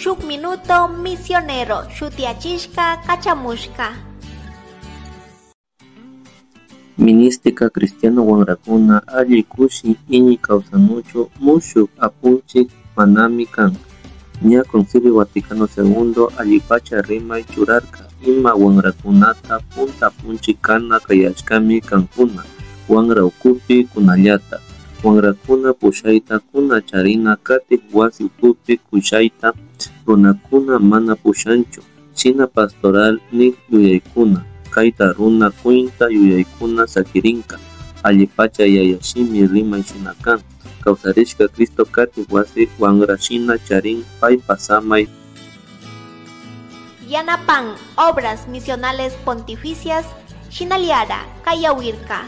Shuk Minuto Misionero shutiyachishka kachamushka. Ministika cristiano wamrakuna alli kushi iñi kawsanuchu mushuk apunchik manami kan. Ña Concilio Vaticano II allipacha rimay churarka ima wamrakunata punta apunchik kana kayashkami kankuna wamra ukupi kunallata. Wamrakuna pushayta kuna charina katik wasi ukupi kushayta runakuna mana pushanchu shina pastoral nik yuyaykuna kayta runa kuyta yuyaykuna sakirinka allipacha yaya shimi rimay shina kan kawsarishka Cristo katik wasi wamra shina charin paypa samay. Yanapan Obras Misionales Pontificias Shinaliara Kayawirka.